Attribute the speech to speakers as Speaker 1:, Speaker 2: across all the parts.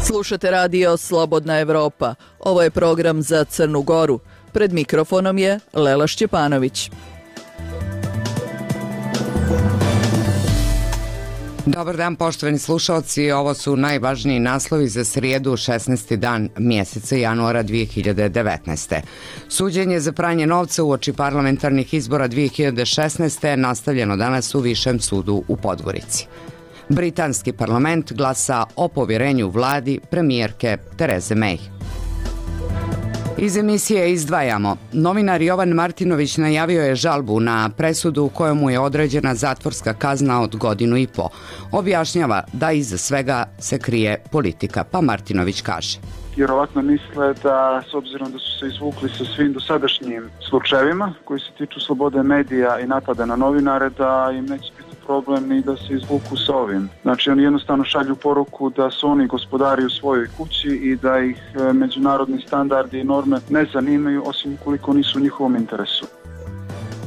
Speaker 1: Slušate radio Slobodna Evropa. Ovo je program za Crnu Goru. Pred mikrofonom je Lela Šćepanović.
Speaker 2: Dobar dan, poštovani slušalci. Ovo su najvažniji naslovi za srijedu, 16. dan mjeseca januara 2019. Suđenje za pranje novca uoči parlamentarnih izbora 2016. nastavljeno danas u Višem sudu u Podgorici. Britanski parlament glasa o povjerenju vladi premijerke Tereze May. Iz emisije izdvajamo. Novinar Jovan Martinović najavio je žalbu na presudu u kojemu je određena zatvorska kazna od 1,5 godine. Objašnjava da iza svega se krije politika, pa Martinović kaže.
Speaker 3: Vjerovatno misle da, s obzirom da su se izvukli sa svim dosadašnjim slučajevima koji se tiču slobode medija i napada na novinare, da im neće biti problem ni da se izvuku sa ovim. Znači oni jednostavno šalju poruku da su oni gospodari u svojoj kući i da ih međunarodni standardi i norme ne zanimaju, osim ukoliko nisu u njihovom interesu.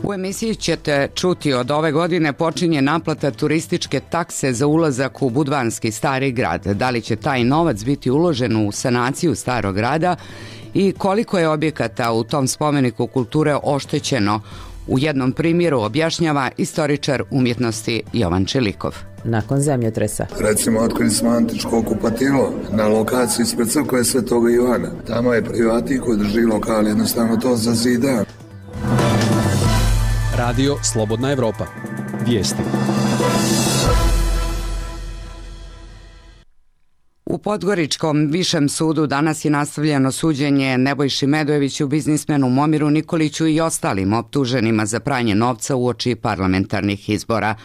Speaker 2: U emisiji ćete čuti od ove godine počinje naplata turističke takse za ulazak u Budvanski stari grad. Da li će taj novac biti uložen u sanaciju starog grada i koliko je objekata u tom spomeniku kulture oštećeno? U jednom primjeru objašnjava istoričar umjetnosti Jovan Čelikov.
Speaker 4: Nakon zemljotresa.
Speaker 5: Recimo, otkrili smo antičko kupatilo na lokaciji ispred crkve Svetoga Ivana. Tamo je privatnik koji drži lokal, jednostavno to zazida.
Speaker 6: Radio Slobodna Evropa. Vijesti.
Speaker 2: U Podgoričkom Višem sudu danas je nastavljeno suđenje Nebojši Medojeviću, biznismenu Momiru Nikoliću i ostalim optuženima za pranje novca uoči parlamentarnih izbora.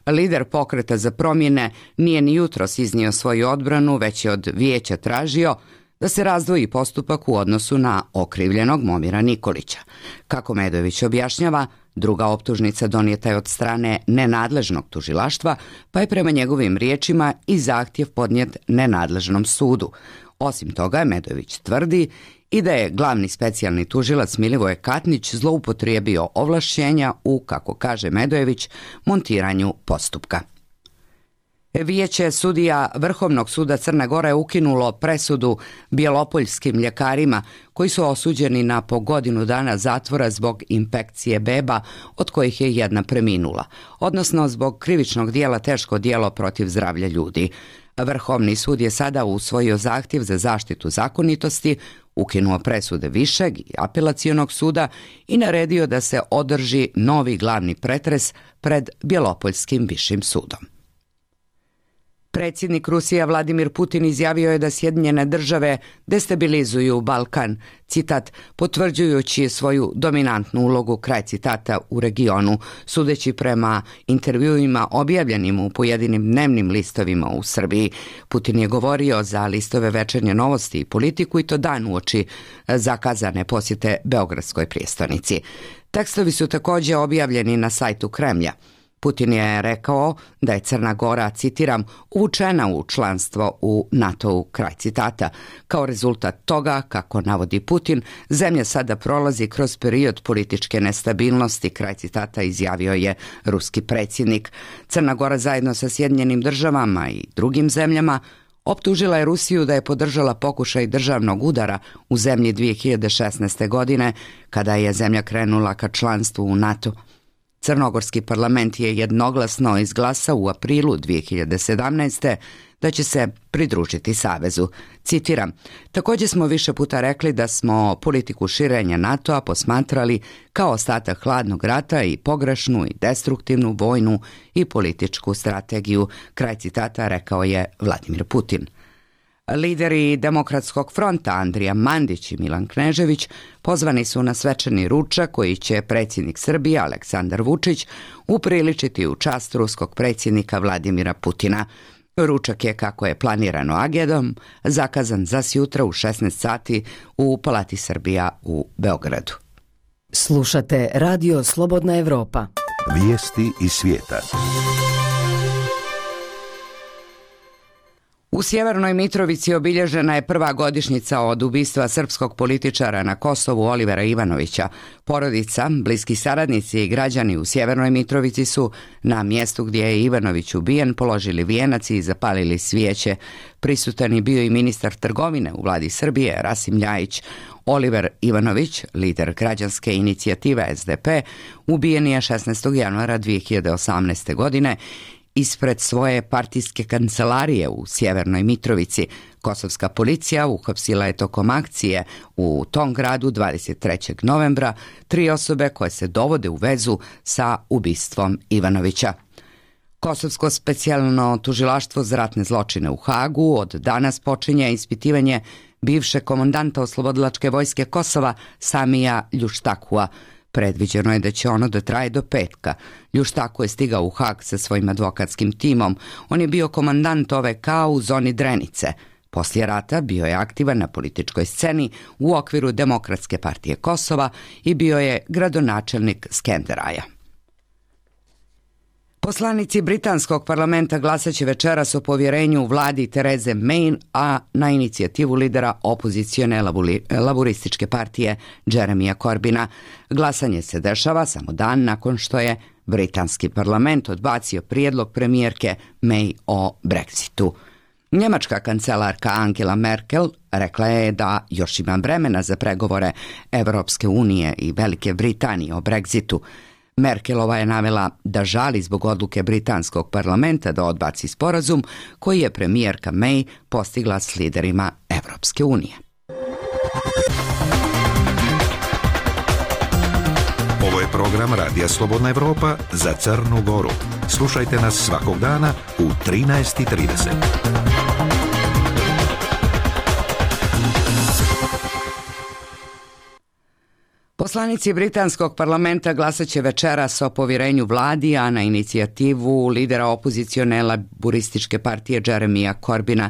Speaker 2: Lider Pokreta za promjene nije ni jutros iznio svoju odbranu, već je od vijeća tražio da se razdvoji postupak u odnosu na okrivljenog Momira Nikolića. Kako Medojević objašnjava, druga optužnica donijeta je od strane nenadležnog tužilaštva, pa je prema njegovim riječima i zahtjev podnijet nenadležnom sudu. Osim toga, Medojević tvrdi i da je glavni specijalni tužilac Milivoje Katnić zloupotrijebio ovlašćenja u, kako kaže Medojević, montiranju postupka. Vijeće sudija Vrhovnog suda Crne Gore je ukinulo presudu bjelopoljskim ljekarima koji su osuđeni na po 1 godinu zatvora zbog infekcije beba, od kojih je jedna preminula, odnosno zbog krivičnog dijela teško djelo protiv zdravlja ljudi. Vrhovni sud je sada usvojio zahtjev za zaštitu zakonitosti, ukinuo presude Višeg i Apelacionog suda i naredio da se održi novi glavni pretres pred Bjelopoljskim višim sudom. Predsjednik Rusije Vladimir Putin izjavio je da Sjedinjene države destabilizuju Balkan, citat, potvrđujući svoju dominantnu ulogu, kraj citata, u regionu, sudeći prema intervjuima objavljenim u pojedinim dnevnim listovima u Srbiji. Putin je govorio za listove Večernje novosti i Politiku i to dan uoči zakazane posjete Beogradskoj prijestolnici. Tekstovi su također objavljeni na sajtu Kremlja. Putin je rekao da je Crna Gora, citiram, uvučena u članstvo u NATO-u, kraj citata. Kao rezultat toga, kako navodi Putin, zemlja sada prolazi kroz period političke nestabilnosti, kraj citata, izjavio je ruski predsjednik. Crna Gora zajedno sa Sjedinjenim državama i drugim zemljama optužila je Rusiju da je podržala pokušaj državnog udara u zemlji 2016. godine, kada je zemlja krenula ka članstvu u NATO. Crnogorski parlament je jednoglasno izglasao u aprilu 2017. da će se pridružiti savezu. Citiram, također smo više puta rekli da smo politiku širenja NATO-a posmatrali kao ostatak hladnog rata i pogrešnu i destruktivnu vojnu i političku strategiju, kraj citata, rekao je Vladimir Putin. Lideri Demokratskog fronta Andrija Mandić i Milan Knežević pozvani su na svečani ručak koji će predsjednik Srbije Aleksandar Vučić upriličiti u čast ruskog predsjednika Vladimira Putina. Ručak je, kako je planirano agendom, zakazan za sjutra u 16 sati u Palati Srbija u Beogradu.
Speaker 4: Slušate Radio Slobodna Evropa.
Speaker 7: Vijesti iz svijeta.
Speaker 2: U Sjevernoj Mitrovici obilježena je prva godišnjica od ubistva srpskog političara na Kosovu Olivera Ivanovića. Porodica, bliski saradnici i građani u Sjevernoj Mitrovici su na mjestu gdje je Ivanović ubijen položili vijenac i zapalili svijeće. Prisutan je bio i ministar trgovine u vladi Srbije Rasim Ljajić. Oliver Ivanović, lider građanske inicijative SDP, ubijen je 16. januara 2018. godine ispred svoje partijske kancelarije u Sjevernoj Mitrovici. Kosovska policija uhapsila je tokom akcije u tom gradu 23. novembra 3 osobe koje se dovode u vezu sa ubistvom Ivanovića. Kosovsko specijalno tužilaštvo za ratne zločine u Hagu od danas počinje ispitivanje bivšeg komandanta oslobodilačke vojske Kosova Samija Ljuštakua. Predviđeno je da će ono da traje do petka. Ljuštaku je stigao u Hag sa svojim advokatskim timom. On je bio komandant OVK u zoni Drenice. Poslije rata bio je aktivan na političkoj sceni u okviru Demokratske partije Kosova i bio je gradonačelnik Skenderaja. Poslanici britanskog parlamenta glasat će večeras o povjerenju vladi Tereze May, a na inicijativu lidera opozicione laburističke partije Jeremija Corbina. Glasanje se dešava samo dan nakon što je britanski parlament odbacio prijedlog premijerke May o Brexitu. Njemačka kancelarka Angela Merkel rekla je da još ima vremena za pregovore Evropske unije i Velike Britanije o Brexitu. Merkelova je navela da žali zbog odluke britanskog parlamenta da odbaci sporazum koji je premijerka May postigla s liderima Evropske unije.
Speaker 7: Ovo je program Radija Slobodna Evropa za Crnu Goru. Slušajte nas svakog dana u 13:30.
Speaker 2: Poslanici britanskog parlamenta glasat će večeras o povjerenju vladi, a na inicijativu lidera opozicione laburističke partije Jeremija Corbina.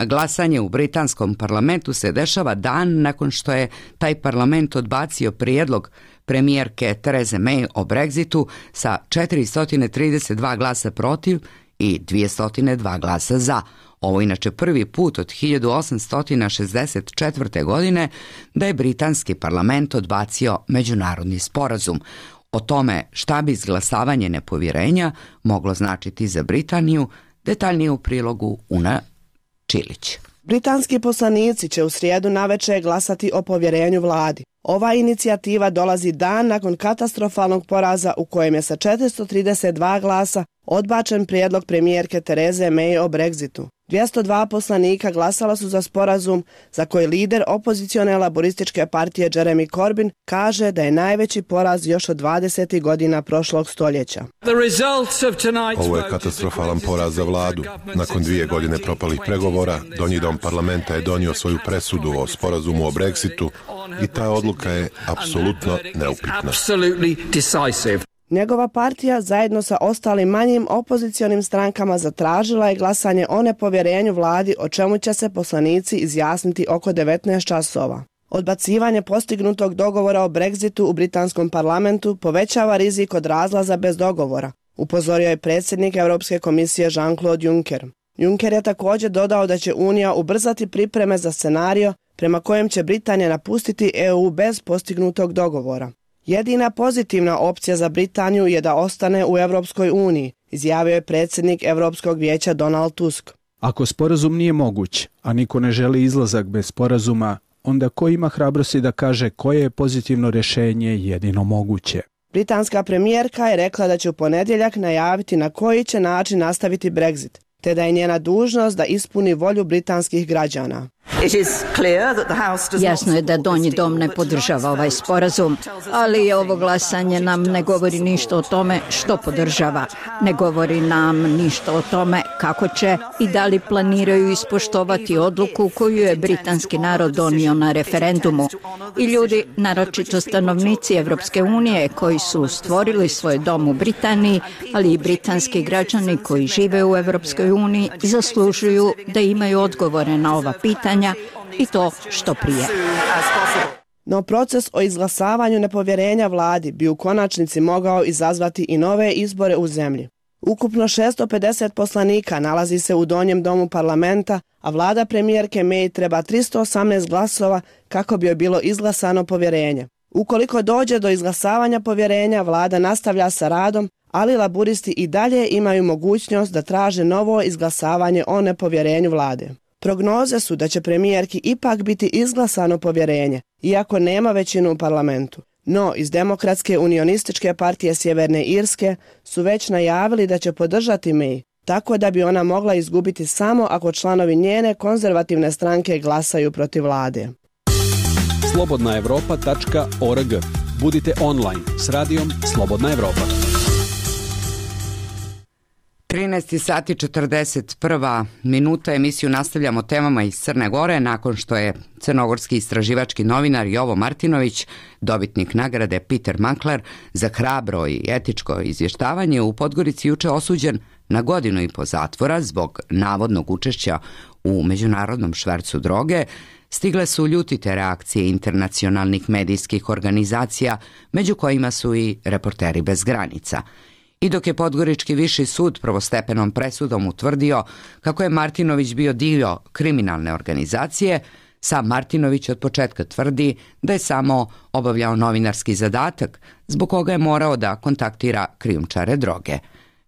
Speaker 2: Glasanje u britanskom parlamentu se dešava dan nakon što je taj parlament odbacio prijedlog premijerke Tereze May o Brexitu sa 432 glasa protiv i 202 glasa za. Ovo inače prvi put od 1864. godine da je britanski parlament odbacio međunarodni sporazum. O tome šta bi izglasavanje nepovjerenja moglo značiti za Britaniju, detaljnije u prilogu Una Čilić.
Speaker 8: Britanski poslanici će u srijedu navečer glasati o povjerenju vladi. Ova inicijativa dolazi dan nakon katastrofalnog poraza u kojem je sa 432 glasa odbačen prijedlog premijerke Tereze May o Brexitu. 202 poslanika glasala su za sporazum za koji lider opozicione laborističke partije Jeremy Corbyn kaže da je najveći poraz još od 20. godina prošlog stoljeća.
Speaker 9: Ovo je katastrofalan poraz za vladu. Nakon 2 godine propalih pregovora, Donji dom parlamenta je donio svoju presudu o sporazumu o Brexitu i ta odluka je apsolutno neupitna.
Speaker 8: Njegova partija zajedno sa ostalim manjim opozicionim strankama zatražila je glasanje o nepovjerenju vladi, o čemu će se poslanici izjasniti oko 19 časova. Odbacivanje postignutog dogovora o Brexitu u britanskom parlamentu povećava rizik od razlaza bez dogovora, upozorio je predsjednik Europske komisije Jean-Claude Juncker. Juncker je također dodao da će Unija ubrzati pripreme za scenario prema kojem će Britanija napustiti EU bez postignutog dogovora. Jedina pozitivna opcija za Britaniju je da ostane u Europskoj uniji, izjavio je predsjednik Europskog vijeća Donald Tusk.
Speaker 10: Ako sporazum nije moguć, a niko ne želi izlazak bez sporazuma, onda ko ima hrabrosti da kaže koje je pozitivno rješenje jedino moguće?
Speaker 8: Britanska premijerka je rekla da će u ponedjeljak najaviti na koji će način nastaviti Brexit, te da je njena dužnost da ispuni volju britanskih građana.
Speaker 11: Jasno je da Donji dom ne podržava ovaj sporazum, ali ovo glasanje nam ne govori ništa o tome što podržava. Ne govori nam ništa o tome kako će i da li planiraju ispoštovati odluku koju je britanski narod donio na referendumu. I ljudi, naročito stanovnici Evropske unije koji su stvorili svoj dom u Britaniji, ali i britanski građani koji žive u Evropskoj uniji, zaslužuju da imaju odgovore na ova pitanja i to što prije.
Speaker 8: No proces o izglasavanju nepovjerenja vladi bi u konačnici mogao izazvati i nove izbore u zemlji. Ukupno 650 poslanika nalazi se u donjem domu parlamenta, a vlada premijerke May treba 318 glasova kako bi joj bilo izglasano povjerenje. Ukoliko dođe do izglasavanja povjerenja, vlada nastavlja sa radom, ali laburisti i dalje imaju mogućnost da traže novo izglasavanje o nepovjerenju vlade. Prognoze su da će premijerki ipak biti izglasano povjerenje, iako nema većinu u parlamentu. No, iz Demokratske unionističke partije Sjeverne Irske su već najavili da će podržati May, tako da bi ona mogla izgubiti samo ako članovi njene konzervativne stranke glasaju protiv vlade.
Speaker 6: slobodnaevropa.org. Budite online s radijom Slobodna Evropa.
Speaker 2: 13 sati 41 minuta. Emisiju nastavljamo temama iz Crne Gore nakon što je crnogorski istraživački novinar Jovo Martinović, dobitnik nagrade Peter Mankler za hrabro i etičko izvještavanje, u Podgorici juče osuđen na 1,5 godine zatvora zbog navodnog učešća u međunarodnom švercu droge. Stigle su ljutite reakcije internacionalnih medijskih organizacija, među kojima su i Reporteri bez granica. I dok je Podgorički viši sud prvostepenom presudom utvrdio kako je Martinović bio dio kriminalne organizacije, sam Martinović od početka tvrdi da je samo obavljao novinarski zadatak zbog koga je morao da kontaktira krijumčare droge.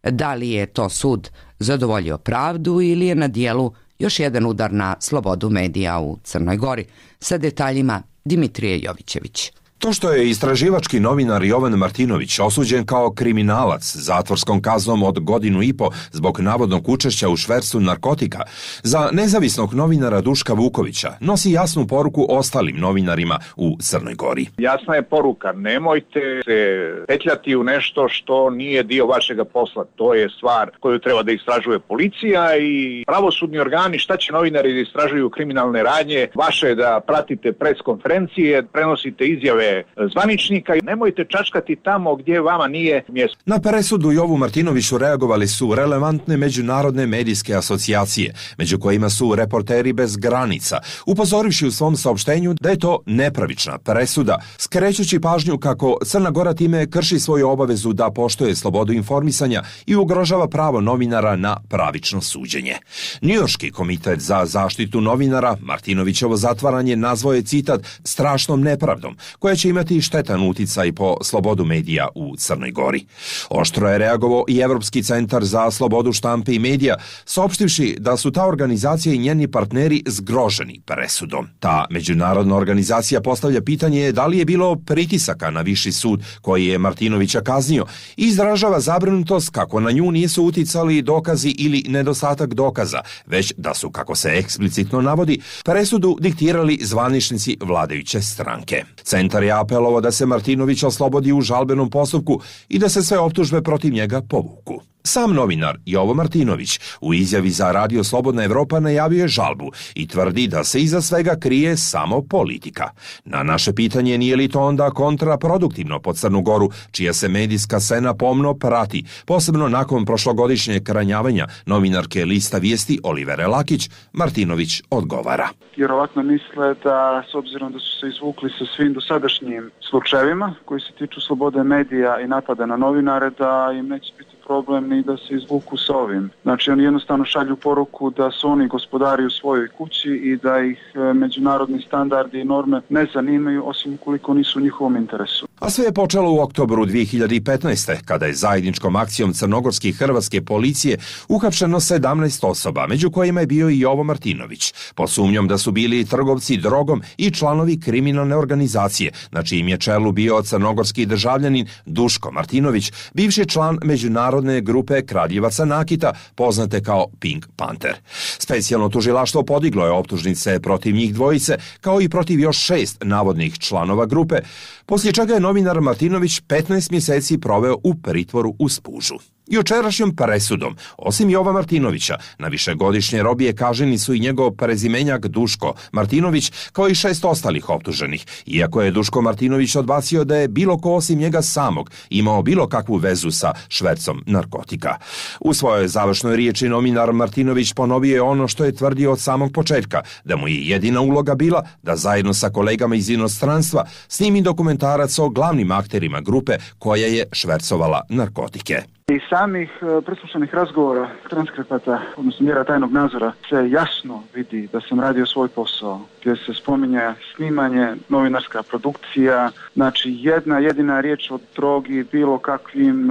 Speaker 2: Da li je to sud zadovoljio pravdu ili je na dijelu još jedan udar na slobodu medija u Crnoj Gori? Sa detaljima Dimitrije Jovićević.
Speaker 12: To što je istraživački novinar Jovan Martinović osuđen kao kriminalac zatvorskom kaznom od 1,5 godine zbog navodnog učešća u švercu narkotika, za nezavisnog novinara Duška Vukovića nosi jasnu poruku ostalim novinarima u Crnoj Gori.
Speaker 13: Jasna je poruka, nemojte se petljati u nešto što nije dio vašega posla. To je stvar koju treba da istražuje policija i pravosudni organi. Šta će novinari da istražuju kriminalne radnje? Vaše je da pratite pres konferencije, prenosite izjave zvaničnika i nemojte čačkati tamo gdje vama nije mjesto.
Speaker 12: Na presudu Jovu Martinoviću reagovali su relevantne međunarodne medijske asocijacije, među kojima su Reporteri bez granica, upozorivši u svom saopštenju da je to nepravična presuda, skrećući pažnju kako Crna Gora time krši svoju obavezu da poštuje slobodu informisanja i ugrožava pravo novinara na pravično suđenje. Njujorški komitet za zaštitu novinara Martinovićevo zatvaranje nazvao je, citat, strašnom nepravdom, koja će imati štetan uticaj po slobodu medija u Crnoj Gori. Oštro je reagovao i Evropski centar za slobodu štampe i medija, saopštivši da su ta organizacija i njeni partneri zgroženi presudom. Ta međunarodna organizacija postavlja pitanje da li je bilo pritisaka na viši sud koji je Martinovića kaznio i izražava zabrinutost kako na nju nisu uticali dokazi ili nedostatak dokaza, već da su, kako se eksplicitno navodi, presudu diktirali zvaničnici vladajuće stranke. Centar je apelovao da se Martinović oslobodi u žalbenom postupku i da se sve optužbe protiv njega povuku. Sam novinar Jovo Martinović u izjavi za Radio Slobodna Evropa najavio je žalbu i tvrdi da se iza svega krije samo politika. Na naše pitanje nije li to onda kontraproduktivno po Crnu Goru, čija se medijska scena pomno prati, posebno nakon prošlogodišnjeg ranjavanja novinarke Lista vijesti Olivere Lakić, Martinović odgovara.
Speaker 3: Vjerovatno misle da, s obzirom da su se izvukli sa svim dosadašnjim slučajevima koji se tiču slobode medija i napada na novinare, da im neće biti problem ni da se izvuku sa ovim. Znači, oni jednostavno šalju poruku da su oni gospodari u svojoj kući i da ih međunarodni standardi i norme ne zanimaju, osim ukoliko nisu u njihovom interesu.
Speaker 12: A sve je počelo u oktobru 2015. kada je zajedničkom akcijom crnogorske i hrvatske policije uhapšeno 17 osoba, među kojima je bio i Jovo Martinović, pod sumnjom da su bili trgovci drogom i članovi kriminalne organizacije, na čijem je čelu bio crnogorski državljanin Duško Martinović, bivši član međunarodne grupe kradljivaca nakita, poznate kao Pink Panther. Specijalno tužilaštvo podiglo je optužnice protiv njih dvojice, kao i protiv još 6 navodnih članova grupe, poslije čega je novinar Martinović 15 mjeseci proveo u pritvoru u Spužu. Jučerašnjom presudom, osim Jova Martinovića, na višegodišnje robije kažnjeni su i njegov prezimenjak Duško Martinović, kao i 6 ostalih optuženih, iako je Duško Martinović odbacio da je bilo ko osim njega samog imao bilo kakvu vezu sa švercom narkotika. U svojoj završnoj riječi novinar Martinović ponovio je ono što je tvrdio od samog početka, da mu je jedina uloga bila da zajedno sa kolegama iz inostranstva snimi dokumentarac o glavnim akterima grupe koja je švercovala narkotike.
Speaker 3: Iz samih preslušanih razgovora, transkripata, odnosno mjera tajnog nadzora, se jasno vidi da sam radio svoj posao, gdje se spominje snimanje, novinarska produkcija, znači jedna jedina riječ o drogi, bilo kakvim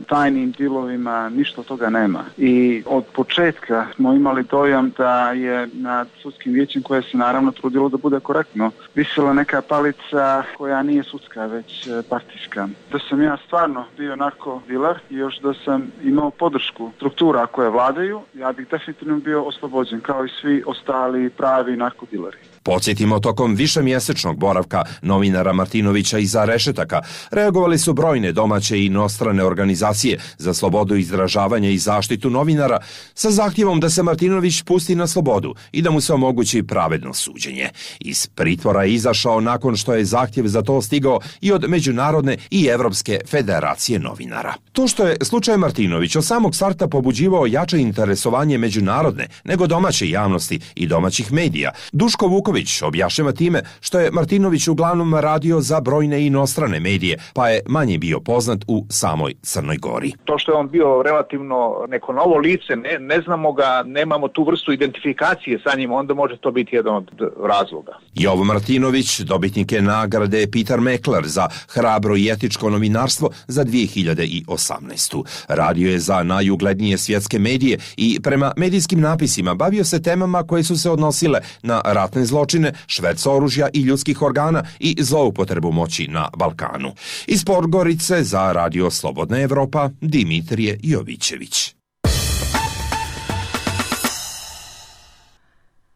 Speaker 3: tajnim dilovima, ništa od toga nema. I od početka smo imali dojam da je nad sudskim vijećem, koje se naravno trudilo da bude korektno, visila neka palica koja nije sudska, već partijska. Da sam ja stvarno bio narko-diler i još da sam imao podršku struktura koje vladaju, ja bih definitivno bio oslobođen, kao i svi ostali pravi narkodileri.
Speaker 12: Podsjetimo, tokom višemjesečnog boravka novinara Martinovića iza rešetaka reagovali su brojne domaće i inostrane organizacije za slobodu izražavanja i zaštitu novinara sa zahtjevom da se Martinović pusti na slobodu i da mu se omogući pravedno suđenje. Iz pritvora je izašao nakon što je zahtjev za to stigao i od Međunarodne i Evropske federacije novinara. To što je slučaj Martinović od samog starta pobuđivao jače interesovanje međunarodne nego domaće javnosti i domaćih medija, Duško Vuković objašnjava time što je Martinović uglavnom radio za brojne inostrane medije, pa je manje bio poznat u samoj Crnoj Gori.
Speaker 13: To što je on bio relativno neko novo lice, ne znamo ga, nemamo tu vrstu identifikacije sa njim, onda može to biti jedan od razloga.
Speaker 12: Jovo Martinović dobitnik je nagrade Peter Mekler za hrabro i etičko novinarstvo za 2018. Radio je za najuglednije svjetske medije i prema medijskim napisima bavio se temama koje su se odnosile na ratne zločine, šverc oružja i ljudskih organa i zloupotrebu moći na Balkanu. Iz Podgorice za Radio Slobodna Evropa, Dimitrije Jovićević.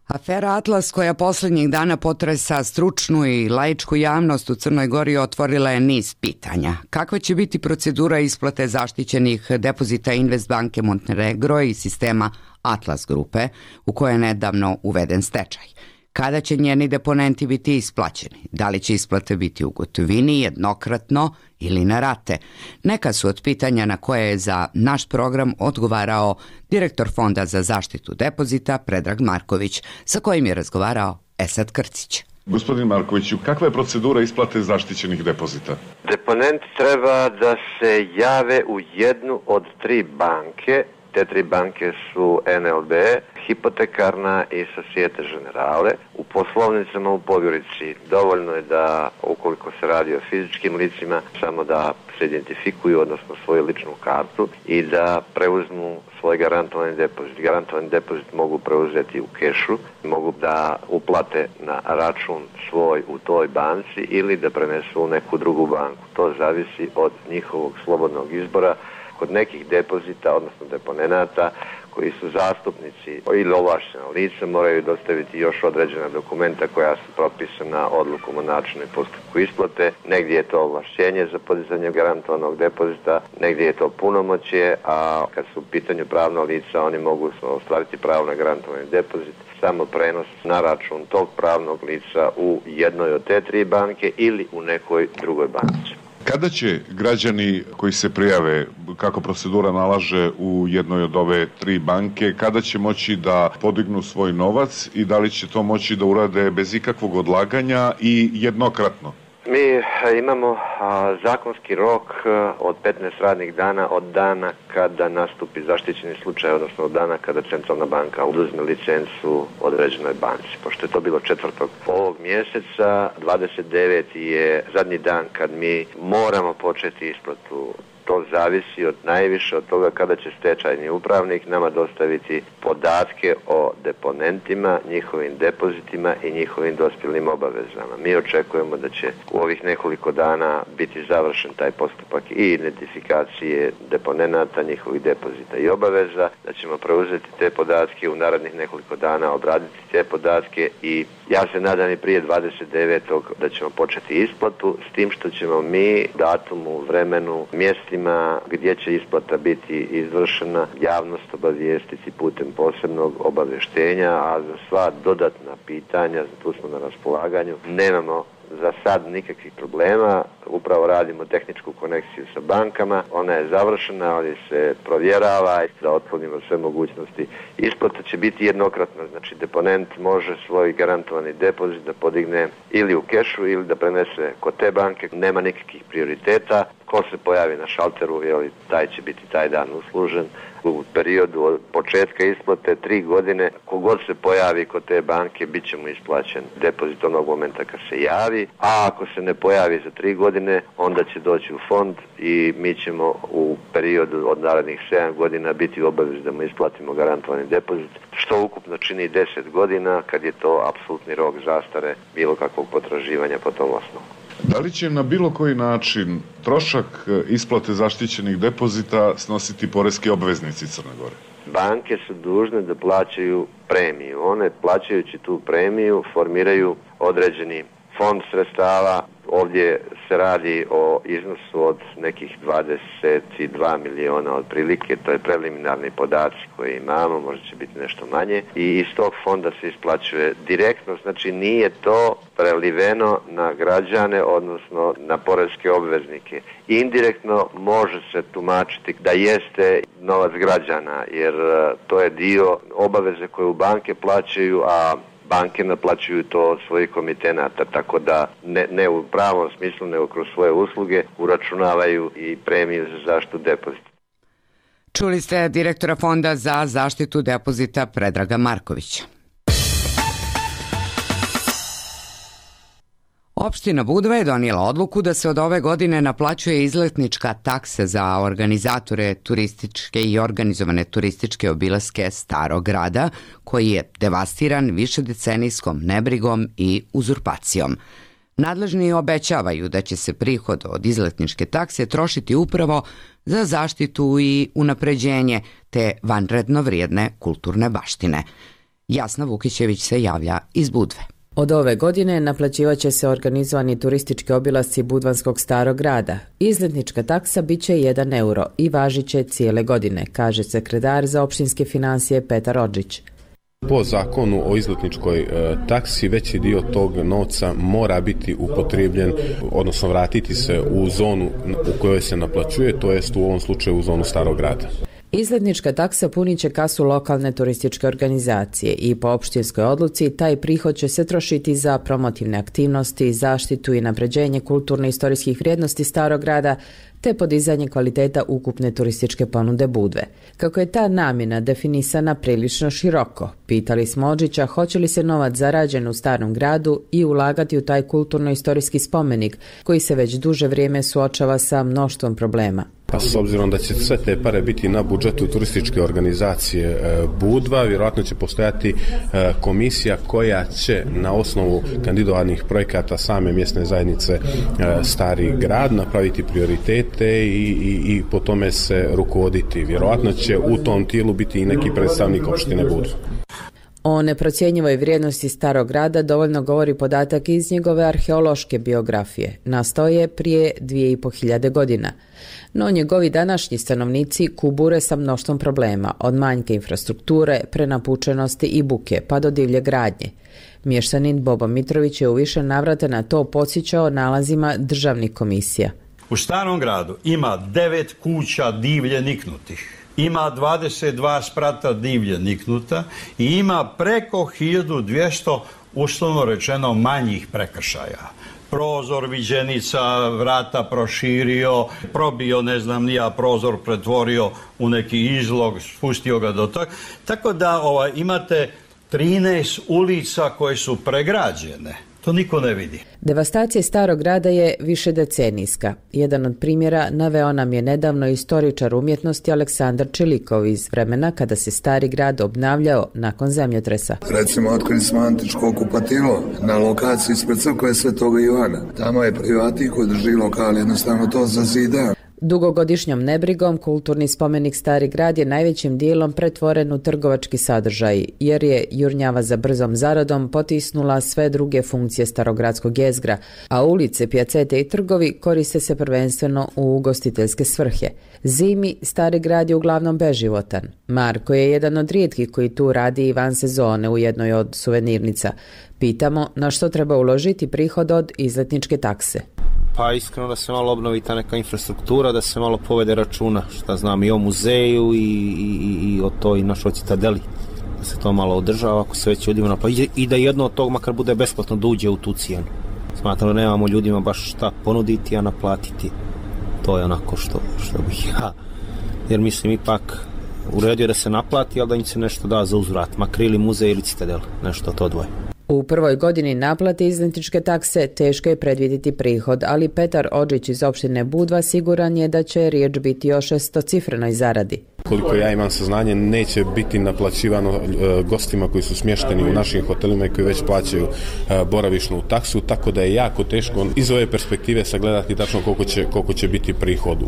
Speaker 2: Afera Atlas, koja posljednjih dana potresa stručnu i laičku javnost u Crnoj Gori, otvorila je niz pitanja. Kakva će biti procedura isplate zaštićenih depozita Investbanke Montenegro i sistema Atlas grupe, u kojoj je nedavno uveden stečaj? Kada će njeni deponenti biti isplaćeni? Da li će isplate biti u gotovini, jednokratno ili na rate? Neka su od pitanja na koje je za naš program odgovarao direktor Fonda za zaštitu depozita Predrag Marković, sa kojim je razgovarao Esad Krcić.
Speaker 14: Gospodin Markoviću, kakva je procedura isplate zaštićenih depozita?
Speaker 15: Deponenti treba da se jave u jednu od 3 banke. Te 3 banke su NLB, Hipotekarna i Societe Generale. U poslovnicama u Podgorici dovoljno je da, ukoliko se radi o fizičkim licima, samo da se identifikuju, odnosno svoju ličnu kartu i da preuzmu svoj garantovani depozit. Garantovani depozit mogu preuzeti u kešu, mogu da uplate na račun svoj u toj banci ili da prenesu u neku drugu banku. To zavisi od njihovog slobodnog izbora. Kod nekih depozita, odnosno deponenata, koji su zastupnici ili ovlaštena lica, moraju dostaviti još određena dokumenta koja su propisana odlukom o načinu i postupku isplate. Negdje je to ovlašćenje za podizanje garantovanog depozita, negdje je to punomoćje, a kad su u pitanju pravna lica, oni mogu ostvariti pravo na garantovani depozit samo prenos na račun tog pravnog lica u jednoj od te 3 banke ili u nekoj drugoj banci.
Speaker 14: Kada će građani koji se prijave, kako procedura nalaže u jednoj od ove 3 banke, kada će moći da podignu svoj novac i da li će to moći da urade bez ikakvog odlaganja i jednokratno?
Speaker 15: Mi imamo zakonski rok od 15 radnih dana od dana kada nastupi zaštićeni slučaj, odnosno od dana kada Centralna banka oduzme licencu određenoj banci. Pošto je to bilo 4. ovog mjeseca, 29. je zadnji dan kad mi moramo početi isplatu. To zavisi od najviše od toga kada će stečajni upravnik nama dostaviti podatke o deponentima, njihovim depozitima i njihovim dospjelim obavezama. Mi očekujemo da će u ovih nekoliko dana biti završen taj postupak i identifikacije deponenata, njihovih depozita i obaveza, da ćemo preuzeti te podatke u narednih nekoliko dana, obraditi te podatke i ja se nadam i prije 29. da ćemo početi isplatu, s tim što ćemo mi datumu, vremenu, mjestima gdje će isplata biti izvršena, javnost obavijestiti putem posebnog obavještenja, a za sva dodatna pitanja, tu smo na raspolaganju, nemamo za sad nikakvih problema, upravo radimo tehničku konekciju sa bankama, ona je završena, ali se provjerava da otklonimo sve mogućnosti. Isplata će biti jednokratna, znači deponent može svoj garantovani depozit da podigne ili u kešu ili da prenese kod te banke, nema nikakvih prioriteta. ko se pojavi na šalteru, taj će biti taj dan uslužen. U periodu od početka isplate 3 godine, kogod se pojavi kod te banke, bit će mu isplaćen depozit onog momenta kad se javi, a ako se ne pojavi za 3 godine, onda će doći u fond i mi ćemo u periodu od narednih 7 godina biti u obavezi da mu isplatimo garantovani depozit, što ukupno čini 10 godina, kad je to apsolutni rok zastare bilo kakvog potraživanja po tom osnovu.
Speaker 14: Da li će na bilo koji način trošak isplate zaštićenih depozita snositi poreski obveznici Crne Gore?
Speaker 15: Banke su dužne da plaćaju premiju. One, plaćajući tu premiju, formiraju određeni fond sredstava. Ovdje se radi o iznosu od nekih 22 miliona otprilike, to je preliminarni podaci koje imamo, možda će biti nešto manje, i iz tog fonda se isplaćuje direktno, znači nije to preliveno na građane, odnosno na poreske obveznike. Indirektno može se tumačiti da jeste novac građana, jer to je dio obaveze koje u banke plaćaju, a banke naplaćuju to od svojih komitenata, tako da ne u pravom smislu, nego kroz svoje usluge uračunavaju i premiju za zaštitu depozita.
Speaker 2: Čuli ste direktora Fonda za zaštitu depozita Predraga Markovića. Opština Budva je donijela odluku da se od ove godine naplaćuje izletnička taksa za organizatore turističke i organizovane turističke obilaske Starog grada, koji je devastiran višedecenijskom nebrigom i uzurpacijom. Nadležni obećavaju da će se prihod od izletničke takse trošiti upravo za zaštitu i unapređenje te vanredno vrijedne kulturne baštine. Jasna Vukićević se javlja iz Budve.
Speaker 4: Od ove godine naplaćivaće se organizovani turistički obilasci Budvanskog Starog grada. Izletnička taksa bit će 1 euro i važit će cijele godine, kaže sekretar za opštinske financije Petar Odžić.
Speaker 16: Po zakonu o izletničkoj taksi veći dio tog novca mora biti upotrebljen, odnosno vratiti se u zonu u kojoj se naplaćuje, to jest u ovom slučaju u zonu Starog grada.
Speaker 4: Izletnička taksa punit će kasu lokalne turističke organizacije i po opštinskoj odluci taj prihod će se trošiti za promotivne aktivnosti, zaštitu i napređenje kulturno-istorijskih vrijednosti Starog grada te podizanje kvaliteta ukupne turističke ponude Budve. Kako je ta namjena definisana prilično široko, pitali smo Odžića hoće li se novac zarađen u Starom gradu i ulagati u taj kulturno-istorijski spomenik koji se već duže vrijeme suočava sa mnoštvom problema.
Speaker 16: Pa s obzirom da će sve te pare biti na budžetu turističke organizacije Budva, vjerojatno će postojati komisija koja će na osnovu kandidovanih projekata same mjesne zajednice Stari grad napraviti prioritete i po tome se rukovoditi. Vjerojatno će u tom tijelu biti i neki predstavnik opštine Budva.
Speaker 4: O neprocjenjivoj vrijednosti Starog grada dovoljno govori podatak iz njegove arheološke biografije. Nastao je prije 2500 godina. No njegovi današnji stanovnici kubure sa mnoštvom problema, od manjke infrastrukture, prenapučenosti i buke, pa do divlje gradnje. Mještanin Bobo Mitrović je u više navrata na to podsjećao nalazima državnih komisija.
Speaker 17: U Starom gradu ima 9 kuća divlje niknutih. Ima 22 sprata divlje niknuta i ima preko 1200, uslovno rečeno, manjih prekršaja. Prozor viđenica, vrata proširio, probio, prozor pretvorio u neki izlog, spustio ga do toga. Tako da imate 13 ulica koje su pregrađene. To niko ne vidi.
Speaker 4: Devastacija Starog grada je višedecenijska. Jedan od primjera naveo nam je nedavno istoričar umjetnosti Aleksandar Čelikov iz vremena kada se Stari grad obnavljao nakon zemljotresa.
Speaker 5: Recimo, otkrili smo antičko kupatilo na lokaciji ispred crkve Svetoga Ivana. Tamo je privatnik koji drži lokal, jednostavno to zazida.
Speaker 4: Dugogodišnjom nebrigom kulturni spomenik Stari grad je najvećim dijelom pretvoren u trgovački sadržaj, jer je jurnjava za brzom zaradom potisnula sve druge funkcije starogradskog jezgra, a ulice, pjacete i trgovi koriste se prvenstveno u ugostiteljske svrhe. Zimi Stari grad je uglavnom beživotan. Marko je jedan od rijetkih koji tu radi i van sezone u jednoj od suvenirnica. Pitamo na što treba uložiti prihod od izletničke takse.
Speaker 18: Pa iskreno da se malo obnovi ta neka infrastruktura, da se malo povede računa, šta znam, i o muzeju i o toj našoj citadeli, da se to malo održava, ako se već ljudima naplaći i da jedno od tog makar bude besplatno da uđe u tu cijenu. Smatram da nemamo ljudima baš šta ponuditi, a naplatiti To je onako što bih ja, jer mislim ipak u redu je da se naplati, ali da im se nešto da za uzvrat, makar ili muzej ili citadel, nešto to dvoje.
Speaker 4: U prvoj godini naplate izletničke takse teško je predvidjeti prihod, ali Petar Odžić iz opštine Budva siguran je da će riječ biti o 600-cifrenoj zaradi.
Speaker 16: Koliko ja imam saznanje, neće biti naplaćivano gostima koji su smješteni u našim hotelima i koji već plaćaju boravišnu taksu, tako da je jako teško iz ove perspektive sagledati tačno koliko će biti prihod.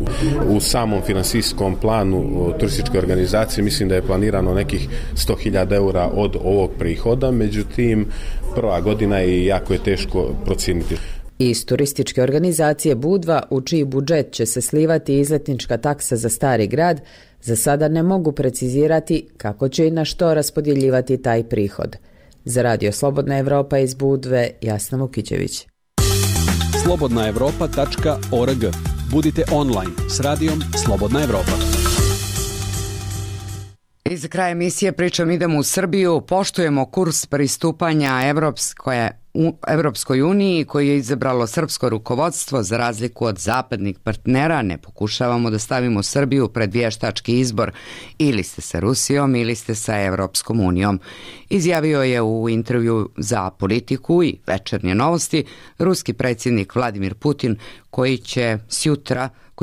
Speaker 16: U samom finansijskom planu turističke organizacije mislim da je planirano nekih 100.000 eura od ovog prihoda, međutim prva godina je jako je teško procijeniti.
Speaker 4: Iz turističke organizacije Budva, u čiji budžet će se slivati izletnička taksa za Stari grad, za sada ne mogu precizirati kako će i na što raspodjeljivati taj prihod. Za Radio Slobodna Evropa iz Budve, Jasna Vukićević.
Speaker 6: slobodnaevropa.org. Budite online s radijom Slobodna Evropa.
Speaker 2: I za kraj emisije pričam idemo u Srbiju, poštujemo kurs pristupanja Evropskoj uniji koji je izabralo srpsko rukovodstvo za razliku od zapadnih partnera. Ne pokušavamo da stavimo Srbiju pred vještački izbor, ili ste sa Rusijom ili ste sa Evropskom unijom. Izjavio je u intervju za Politiku i Večernje novosti ruski predsjednik Vladimir Putin koji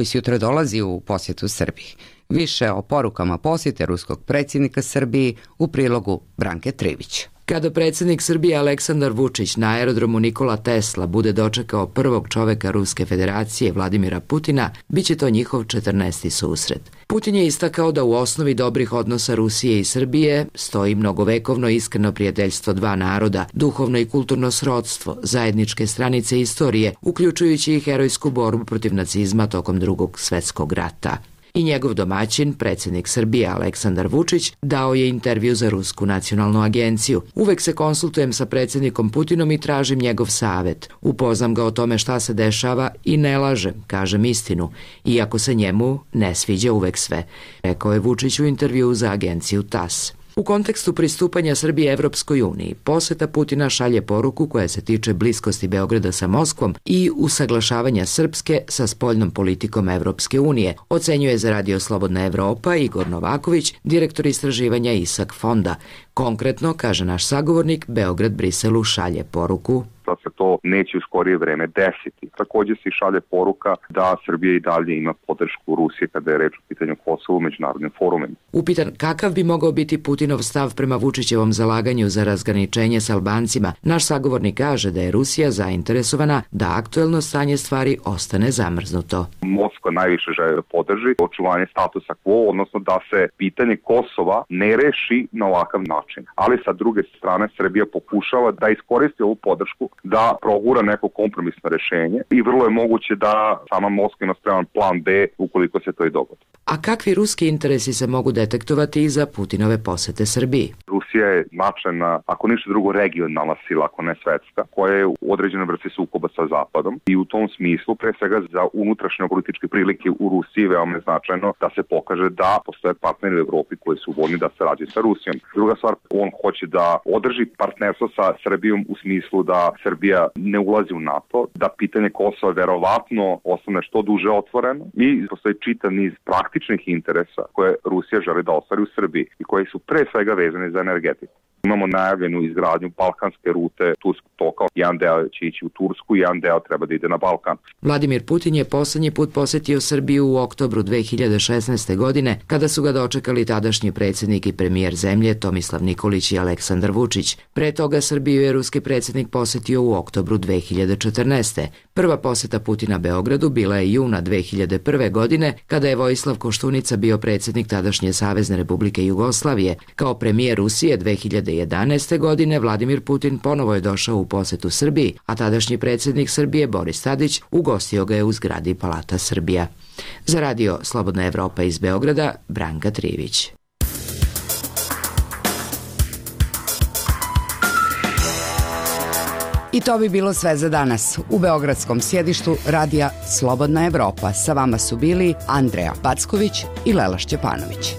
Speaker 2: sutra dolazi u posjetu Srbiji. Više o porukama posjete ruskog predsjednika Srbiji u prilogu Branke Trivić.
Speaker 19: Kada predsjednik Srbije Aleksandar Vučić na aerodromu Nikola Tesla bude dočekao prvog čoveka Ruske federacije Vladimira Putina, bit će to njihov 14. susret. Putin je istakao da u osnovi dobrih odnosa Rusije i Srbije stoji mnogovekovno iskreno prijateljstvo dva naroda, duhovno i kulturno srodstvo, zajedničke stranice istorije, uključujući i herojsku borbu protiv nacizma tokom Drugog svjetskog rata. I njegov domaćin, predsjednik Srbije Aleksandar Vučić, dao je intervju za Rusku nacionalnu agenciju. Uvek se konsultujem sa predsjednikom Putinom i tražim njegov savjet. Upoznam ga o tome šta se dešava i ne lažem, kažem istinu, iako se njemu ne sviđa uvek sve, rekao je Vučić u intervju za agenciju TASS. U kontekstu pristupanja Srbije Evropskoj uniji, posjeta Putina šalje poruku koja se tiče bliskosti Beograda sa Moskvom i usaglašavanja Srpske sa spoljnom politikom Evropske unije, ocenjuje za Radio Slobodna Evropa Igor Novaković, direktor istraživanja ISAK fonda. Konkretno, kaže naš sagovornik, Beograd Briselu šalje poruku
Speaker 20: da se to neće u skorije vreme desiti. Također se šalje poruka da Srbija i dalje ima podršku Rusije kada je reč o pitanju Kosova u međunarodnim forumima.
Speaker 19: Upitan kakav bi mogao biti Putinov stav prema Vučićevom zalaganju za razgraničenje s Albancima, naš sagovornik kaže da je Rusija zainteresovana da aktuelno stanje stvari ostane zamrznuto.
Speaker 20: Moskva najviše želi da podrži očuvanje statusa quo, odnosno da se pitanje Kosova ne reši na ovakav način. Ali sa druge strane Srbija pokušava da iskoristi ovu podršku da progura neko kompromisno rešenje i vrlo je moguće da sama Moskva ima spreman plan B ukoliko se to i dogodi.
Speaker 19: A kakvi ruski interesi se mogu detektovati i za Putinove posete Srbiji?
Speaker 20: Rusija je značajna, ako ništa drugo, regionalna sila, ako ne svetska, koja je u određenoj vrsti sukoba sa Zapadom i u tom smislu, pre svega za unutrašnje političke prilike u Rusiji, veoma je značajno da se pokaže da postoje partneri u Evropi koji su voljni da sarađuju sa Rusijom. Druga stvar, on hoće da održi partnerstvo sa Srbijom u smislu da Srbija ne ulazi u NATO, da pitanje Kosova verovatno ostane što duže otvoreno i postoji čitav niz praktičnih interesa koje Rusija želi da ostvari u Srbiji i koji su pre svega vezani za energetiku. Imamo najavljenu izgradnju balkanske rute Turskog toka. Jedan deo će ići u Tursku, jedan deo treba da ide na Balkan.
Speaker 19: Vladimir Putin je poslednji put posjetio Srbiju u oktobru 2016. godine, kada su ga dočekali tadašnji predsjednik i premijer zemlje Tomislav Nikolić i Aleksandar Vučić. Pre toga Srbiju je ruski predsjednik posjetio u oktobru 2014. Prva posjeta Putina Beogradu bila je juna 2001. godine, kada je Vojislav Koštunica bio predsjednik tadašnje Savezne Republike Jugoslavije. Kao premijer Rusije 2011. godine Vladimir Putin ponovo je došao u posjetu Srbiji, a tadašnji predsjednik Srbije Boris Tadić ugostio ga je u zgradi Palata Srbija. Za Radio Slobodna Evropa iz Beograda, Branka Trivić.
Speaker 2: I to bi bilo sve za danas. U beogradskom sjedištu Radija Slobodna Evropa sa vama su bili Andreja Packović i Lela Šćepanović.